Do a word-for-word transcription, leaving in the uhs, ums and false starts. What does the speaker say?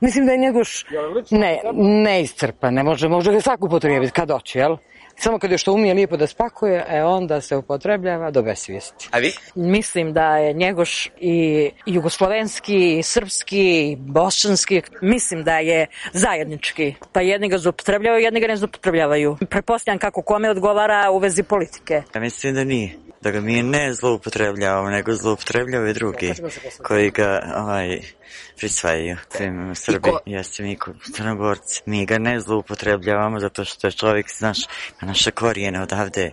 Mislim da je Njegoš ne, neiscrpan, ne može, može ga svako upotrijebiti kad hoće, jel? Samo kad je što umije lijepo da spakuje, e onda se upotrebljava do besvijesti. A vi? Mislim da je Njegoš i jugoslovenski, i srpski, i bosanski, mislim da je zajednički. Pa jedni ga zloupotrebljavaju, jedni ga ne zloupotrebljavaju. Pretpostavljam kako kome odgovara u vezi politike. Ja mislim da nije. Da ga mi ne zloupotrebljavamo, nego zloupotrebljavaju drugi koji ga ovaj, prisvajaju. Svim Srbi, jeste mi Crnogorci. Mi ga ne zloupotrebljavamo zato što je čovjek, znaš, na naše korijene odavde.